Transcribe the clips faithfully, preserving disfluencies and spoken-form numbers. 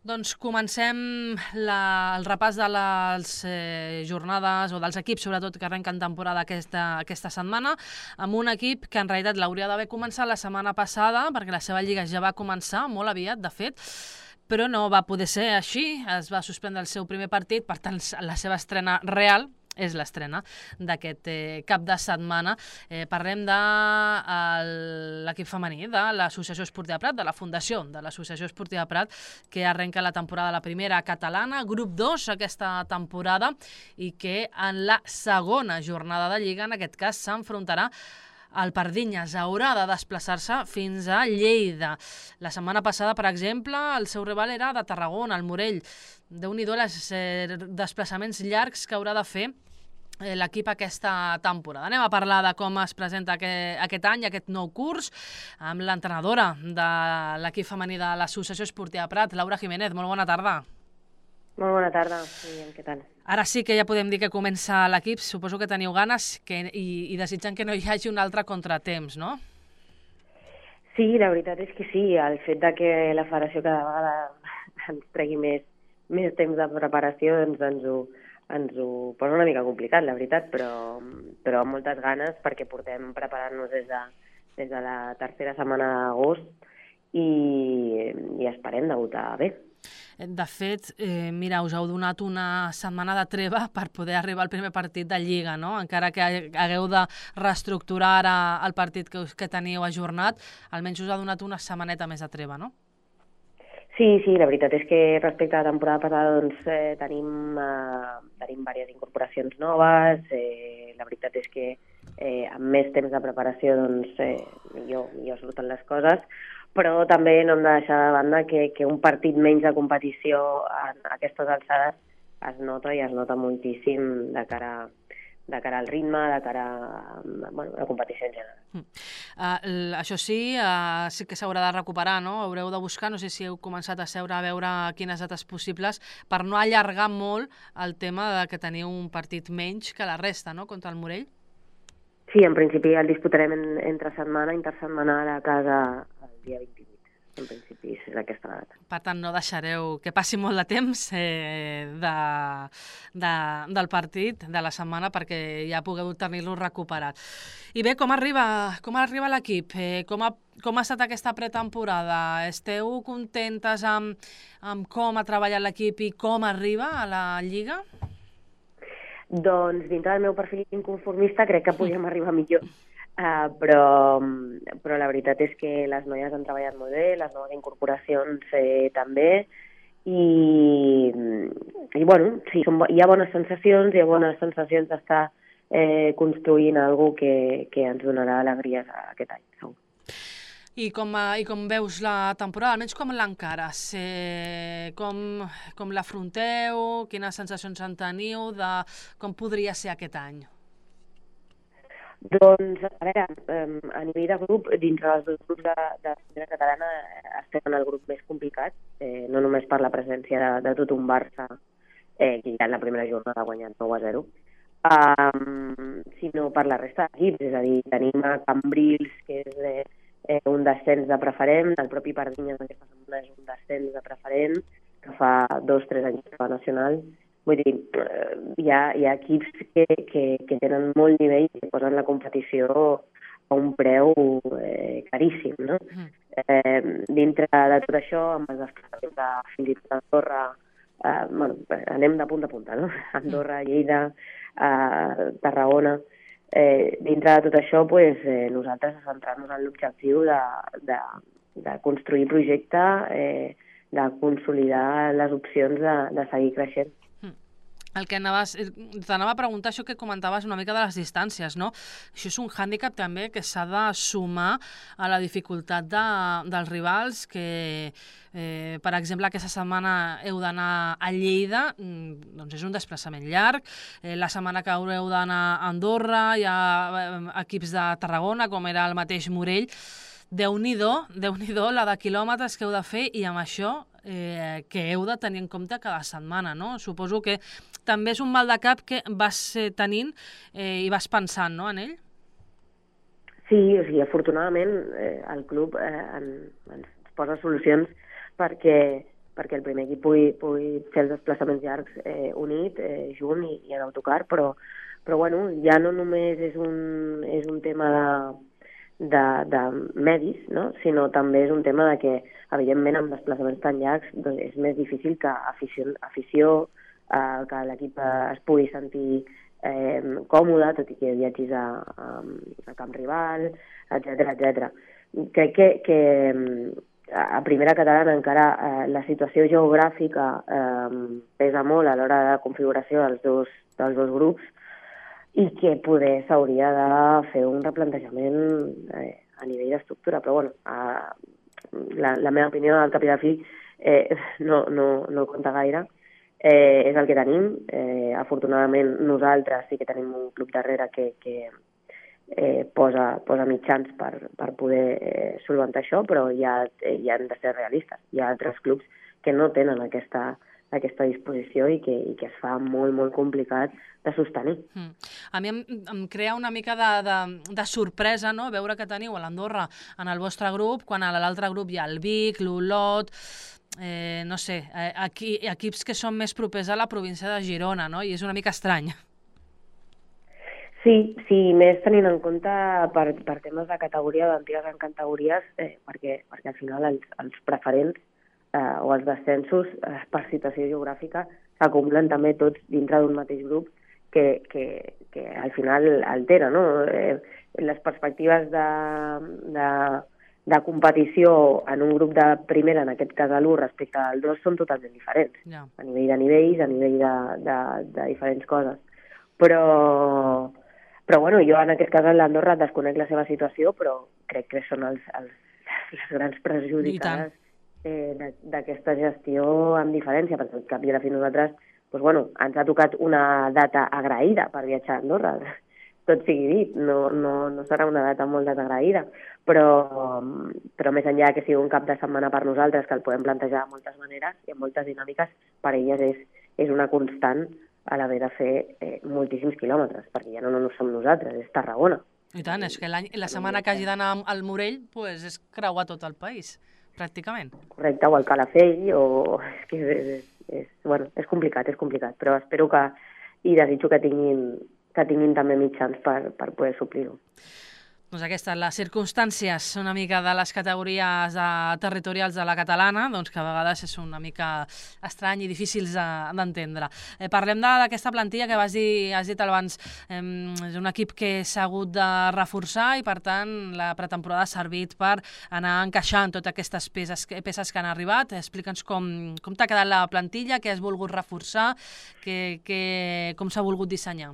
Doncs comencem la, el repàs de les eh, jornades o dels equips, sobretot, que arrenquen temporada aquesta, aquesta setmana, amb un equip que en realitat l'hauria d'haver començat la setmana passada, perquè la seva lliga ja va començar molt aviat, de fet, però no va poder ser així, es va suspendre el seu primer partit, per tant, la seva estrena real és l'estrena d'aquest eh, cap de setmana. Eh, parlem de el, l'equip femení de l'Associació Esportiva Prat, de la fundació de l'Associació Esportiva Prat, que arrenca la temporada, la primera catalana, grup dos aquesta temporada, i que en la segona jornada de Lliga, en aquest cas, s'enfrontarà el Pardinyes. Haurà de desplaçar-se fins a Lleida. La setmana passada, per exemple, el seu rival era de Tarragona, el Morell. Déu-n'hi-do les eh, desplaçaments llargs que haurà de fer eh, l'equip aquesta temporada. Anem a parlar de com es presenta aquest, aquest any, aquest nou curs, amb l'entrenadora de l'equip femení de l'Associació Esportiva Prat, Laura Jiménez. Molt bona tarda. Molt bona tarda. Bien, què tal? Ara sí que ja podem dir que comença l'equip. Suposo que teniu ganes que, i, i desitjant que no hi hagi un altre contratemps, no? Sí, la veritat és que sí. El fet de que la federació cada vegada ens tregui més, més temps de preparació doncs ens ho, ens ho posa una mica complicat, la veritat, però, però amb moltes ganes perquè portem preparant-nos des de, des de la tercera setmana d'agost i, i esperem debutar bé. De fet, eh, mira, us heu donat una setmana de treva per poder arribar al primer partit de Lliga, no? Encara que hagueu de reestructurar ara el partit que, que teniu ajornat, almenys us ha donat una setmaneta més de treva, no? Sí, sí, la veritat és que respecte a la temporada passada doncs, eh, tenim, eh, tenim diverses incorporacions noves, eh, la veritat és que eh, amb més temps de preparació doncs, eh, millor, millor surten les coses, però també no hem de deixar de banda que, que un partit menys de competició a aquestes alçades es nota i es nota moltíssim de cara, de cara al ritme, de cara a, bueno, a la competició en general. Mm. Uh, això sí, uh, sí que s'haurà de recuperar, no? Haureu de buscar, no sé si heu començat a seure a veure quines dates possibles per no allargar molt el tema de que teniu un partit menys que la resta, no?, contra el Morell. Sí, en principi el disputarem en, entre setmana, intersetmanal a casa el dia vint-i-vuit. En principi és aquesta data. Per tant, no deixareu que passi molt de temps eh, de, de, del partit, de la setmana, perquè ja pugueu tenir-lo recuperat. I bé, com arriba, com arriba l'equip? Eh, com, ha, com ha estat aquesta pretemporada? Esteu contentes amb, amb com ha treballat l'equip i com arriba a la Lliga? Doncs dintre del meu perfil inconformista crec que podíem arribar millor. Uh, però, però la veritat és que les noies han treballat molt bé, les noves incorporacions eh, també, i, i bueno, sí, són, hi ha bones sensacions, hi ha bones sensacions d'estar eh, construint alguna cosa que, que ens donarà alegries aquest any, segur. I com, I com veus la temporada, almenys com l'encares? Eh, com com l'afronteu? Quines sensacions en teniu de com podria ser aquest any? Doncs, a veure, a nivell de grup, dintre dels dos grups de, de la primera catalana estem en el grup més complicat, eh, no només per la presència de, de tot un Barça, eh, que ja en la primera jornada ha guanyat nou a zero, um, sinó per la resta d'equips, és a dir, tenim a Cambrils, que és eh, eh, un descens de preferent, el propi Pardinyes aquesta setmana és un descens de preferent, que fa dos o tres anys que va nacional. Vull dir, hi ha, hi ha equips que, que, que tenen molt nivell i que posen la competició a un preu eh, caríssim, no? Mm. Eh, dintre de tot això, amb els desplaçaments de fins i tot Andorra, eh, bueno, anem de punta a punta, no? Andorra, Lleida, eh, Tarragona. Eh, dintre de tot això, pues, eh, nosaltres centrar-nos en l'objectiu de, de, de construir projecte, eh, de consolidar les opcions de, de seguir creixent. El que anaves, t'anava a preguntar això que comentaves una mica de les distàncies, no? Això és un hàndicap també que s'ha de sumar a la dificultat de, dels rivals que, eh, per exemple, aquesta setmana heu d'anar a Lleida, doncs és un desplaçament llarg, eh, la setmana que haureu d'anar a Andorra, hi ha equips de Tarragona, com era el mateix Morell. Déu-n'hi-do, Déu-n'hi-do la de quilòmetres que heu de fer i amb això eh, que heu de tenir en compte cada setmana, no? Suposo que també és un mal de cap que vas tenint eh, i vas pensant, no, en ell? Sí, o sigui, afortunadament eh, el club eh, en, ens posa solucions perquè perquè el primer equip pugui, pugui fer els desplaçaments llargs eh, unit, eh, junt i, i en autocar, però, però bueno, ja no només és un, és un tema de, de, de medis, no? Sinó també és un tema de que, evidentment, amb desplaçaments tan llargs doncs és més difícil que afició, afició eh, que l'equip es pugui sentir eh, còmode, tot i que viatgis a, a, a camp rival, etcètera, etcètera. Crec que, que a primera catalana encara eh, la situació geogràfica eh, pesa molt a l'hora de configuració dels dos, dels dos grups i que poder s'hauria de fer un replantejament eh, a nivell d'estructura. Però bueno, eh, la, la meva opinió al cap i a la fi eh, no, no, no compta gaire. Eh, és el que tenim. Eh, afortunadament nosaltres sí que tenim un club darrere que, que Eh, posa, posa mitjans per, per poder eh, solventar això, però ja, eh, ja hem de ser realistes. Hi ha altres clubs que no tenen aquesta, aquesta disposició i que, i que es fa molt, molt complicat de sostenir. Mm. A mi em, em crea una mica de, de, de sorpresa, no?, veure que teniu a l'Andorra en el vostre grup, quan a l'altre grup hi ha el Vic, l'Olot, eh, no sé, eh, aquí, equips que són més propers a la província de Girona, no?, i és una mica estrany. Sí, sí, més tenint en compte per, per temes de categoria, d'antigues en categories, eh, perquè, perquè al final els, els preferents eh, o els descensos eh, per situació geogràfica s'acumulen també tots dintre d'un mateix grup que, que, que al final altera, no? Eh, les perspectives de, de, de competició en un grup de primera, en aquest cas l'u respecte al dos, són totalment diferents, yeah. A nivell de nivells, a nivell de, de, de diferents coses. Però... Però bueno, jo en aquest cas a l'Andorra desconec la seva situació, però crec que són els, els, les grans perjudicades eh, d'aquesta gestió amb diferència, perquè al cap i a la fi nosaltres doncs, bueno, ens ha tocat una data agraïda per viatjar a Andorra, tot sigui dit, no, no, no serà una data molt desagraïda, però, però més enllà que sigui un cap de setmana per nosaltres, que el podem plantejar de moltes maneres i amb moltes dinàmiques, per elles és, és una constant a l'haver de fer eh, moltíssims quilòmetres, perquè ja no, no, no som nosaltres, és Tarragona. I tant, és que la setmana que hagi d'anar al Morell pues, és creuar tot el país, pràcticament. Correcte, o al Calafell, o... És, que és, és, és, bueno, és complicat, és complicat, però espero que, i desitjo que tinguin, que tinguin també mitjans per, per poder suplir-ho. Doncs aquestes, les circumstàncies una mica de les categories de, territorials de la catalana, doncs que a vegades és una mica estrany i difícils d'entendre. Eh, parlem d'aquesta plantilla que vas dir, has dit abans, eh, és un equip que s'ha hagut de reforçar i per tant la pretemporada ha servit per anar encaixant totes aquestes peces, peces que han arribat. Explica'ns com, com t'ha quedat la plantilla, què has volgut reforçar, que, que, com s'ha volgut dissenyar.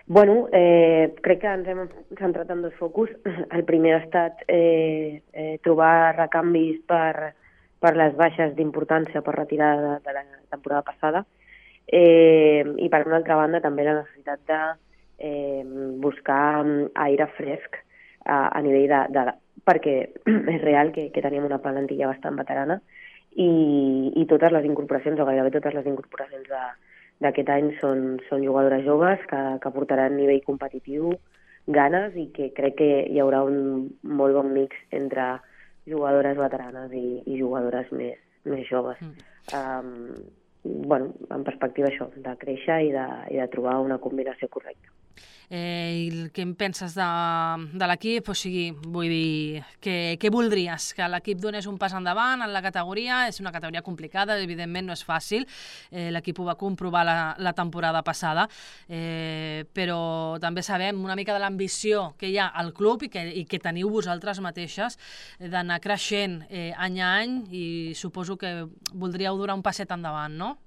Bueno, eh, crec que ens hem centrat en dos focus. El primer ha estat eh, eh, trobar recanvis per, per les baixes d'importància per retirada de, de la temporada passada eh, i per una altra banda també la necessitat de eh, buscar aire fresc a, a nivell de, de... perquè és real que, que teníem una plantilla bastant veterana i, i totes les incorporacions, o gairebé totes les incorporacions de d'aquest any són, són jugadores joves que, que portaran nivell competitiu, ganes, i que crec que hi haurà un molt bon mix entre jugadores veteranes i, i jugadores més, més joves. Mm. Um, bueno, en perspectiva això, de créixer i de, i de trobar una combinació correcta. Eh, I què en penses de, de l'equip? O sigui, vull dir, què, què voldries? Que l'equip donés un pas endavant en la categoria? És una categoria complicada, evidentment no és fàcil, eh, l'equip ho va comprovar la, la temporada passada, eh, però també sabem una mica de l'ambició que hi ha al club i que, i que teniu vosaltres mateixes d'anar creixent eh, any a any, i suposo que voldríeu donar un passet endavant, no?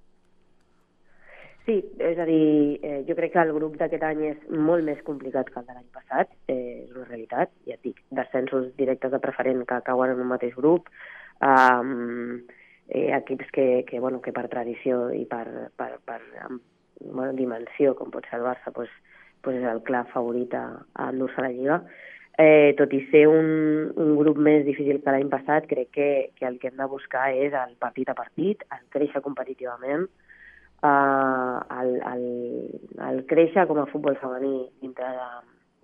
Sí, és a dir, eh, jo crec que el grup d'aquest any és molt més complicat que el de l'any passat, eh, és una realitat, ja et dic, descensos directes de preferent que cauen en un mateix grup, um, eh, equips que, que, bueno, que per tradició i per, per, per bueno, dimensió, com pot ser el Barça, pues, pues és el clar favorit a, a endur-se la Lliga. Eh, tot i ser un, un grup més difícil que l'any passat, crec que, que el que hem de buscar és el partit a partit, el créixer competitivament, Uh, el, el, el créixer com a futbol femení dintre de,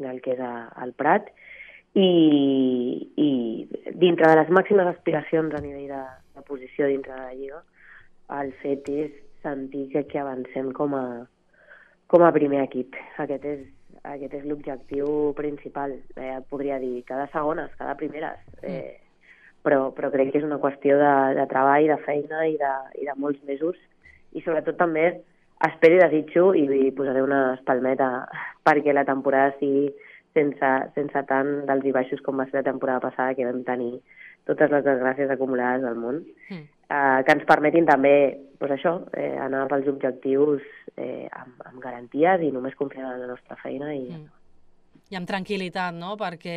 del que és a, el Prat i, i dintre de les màximes aspiracions a nivell de, de posició dintre de la Lliga, el fet és sentir que, que avancem com a, com a primer equip. Aquest és, aquest és l'objectiu principal. Eh, podria dir cada segones, cada primeres, eh, però, però crec que és una qüestió de, de treball, de feina i de, i de molts mesos, i sobretot també espero i desitjo, i, i posaré una espalmeta perquè la temporada sigui sense, sense tant d'alts i baixos com va ser la temporada passada, que vam tenir totes les desgràcies acumulades del món, mm. eh, que ens permetin també pues això, eh, anar pels objectius eh, amb, amb garanties i només confiar en la nostra feina. I, mm. I amb tranquil·litat, no? Perquè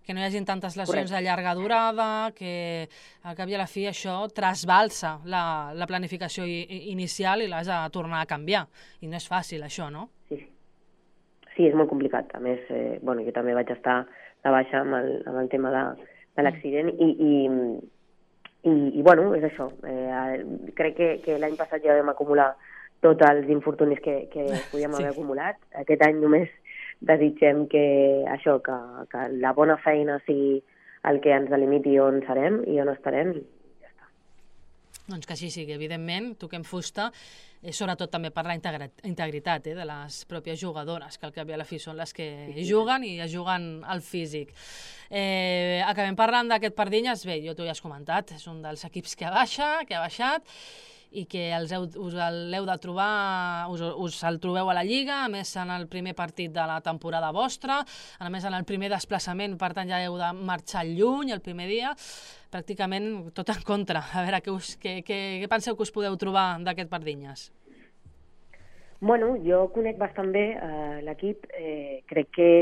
que no hi hagi tantes lesions Correcte. de llarga durada, que al cap i a la fi això trasbalsa la, la planificació i, inicial i l'has de tornar a canviar. I no és fàcil, això, no? Sí, sí és molt complicat. A més, eh, bueno, jo també vaig estar de baixa amb el, amb el tema de, de l'accident mm. i, i, i, i, bueno, és això. Eh, crec que, que l'any passat ja vam acumular tots els infortunis que, que podíem sí. haver acumulat. Aquest any només desitgem que això, que, que la bona feina sigui el que ens delimiti on serem i on estarem, i ja està. Doncs que així sigui, evidentment, toquem fusta, eh, sobretot també per la integritat eh, de les pròpies jugadores, que al cap i a la fi són les que sí, sí. juguen i es juguen al físic. Eh, acabem parlant d'aquest Pardinyes, bé, jo t'ho ja has comentat, és un dels equips que baixa, que ha baixat, i que els heu, us l'heu de trobar, us, us el trobeu a la Lliga, a més en el primer partit de la temporada vostra, a més en el primer desplaçament, per tant ja heu de marxar lluny el primer dia, pràcticament tot en contra. A veure, què, us, què, què, què penseu que us podeu trobar d'aquest Pardinyes? Bueno, jo conec bastant bé eh, l'equip, eh, crec que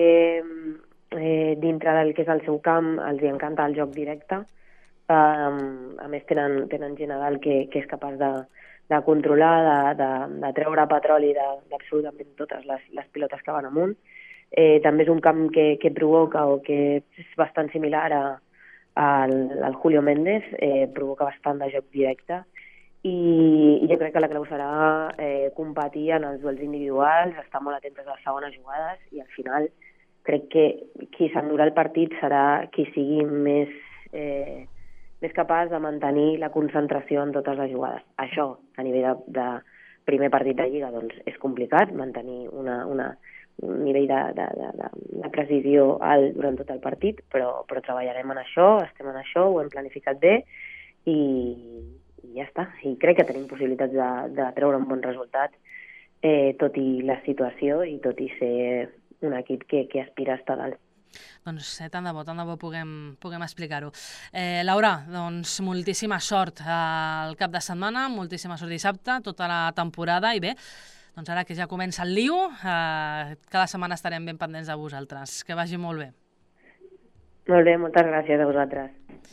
eh, dintre del que és el seu camp els hi encanta el joc directe. Um, a més tenen, tenen gent a dalt que, que és capaç de, de controlar, de, de, de treure petroli d'absolutament totes les, les pilotes que van amunt. Eh, també és un camp que, que provoca, o que és bastant similar a, a, al Julio Méndez, eh, provoca bastant de joc directe, i, i jo crec que la clau serà eh, competir en els duels individuals, estar molt atentes a les segones jugades, i al final crec que qui s'endurà el partit serà qui sigui més... Eh, més capaç de mantenir la concentració en totes les jugades. Això, a nivell de, de primer partit de Lliga, doncs és complicat, mantenir una, una, un nivell de, de, de, de precisió alt durant tot el partit, però, però treballarem en això, estem en això, ho hem planificat bé, i, i ja està. I crec que tenim possibilitats de, de treure un bon resultat, eh, tot i la situació i tot i ser un equip que, que aspira a estar dalt. Doncs eh, tant de bo, tant de bo puguem, puguem explicar-ho. Eh, Laura, doncs moltíssima sort al cap de setmana, moltíssima sort dissabte, tota la temporada, i bé, doncs ara que ja comença el lío, eh, cada setmana estarem ben pendents de vosaltres. Que vagi molt bé. Molt bé, moltes gràcies a vosaltres.